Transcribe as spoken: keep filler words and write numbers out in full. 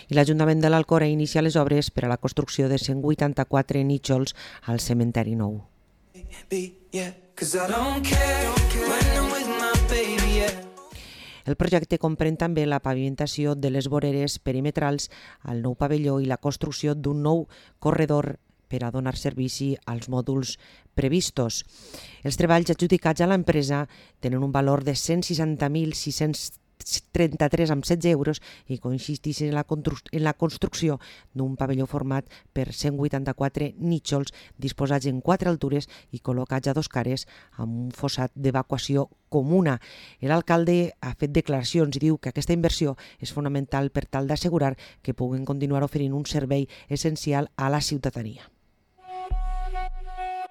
I l'Ajuntament de l'Alcora inicia les obres per a la construcció de cent vuitanta-quatre nínxols al cementeri nou. El projecte comprèn també la pavimentació de les voreres perimetrals al nou pavelló i la construcció d'un nou corredor per a donar servici als mòduls previstos. Els treballs adjudicats a l'empresa tenen un valor de cent seixanta mil sis-cents trenta-tres coma setze euros i consisteixen en la, en la construcció d'un pavelló format per cent vuitanta-quatre nínxols disposats en quatre altures i col·locats a dos cares amb un fossat d'evacuació comuna. L'alcalde ha fet declaracions i diu que aquesta inversió és fonamental per tal d'assegurar que puguen continuar oferint un servei essencial a la ciutadania.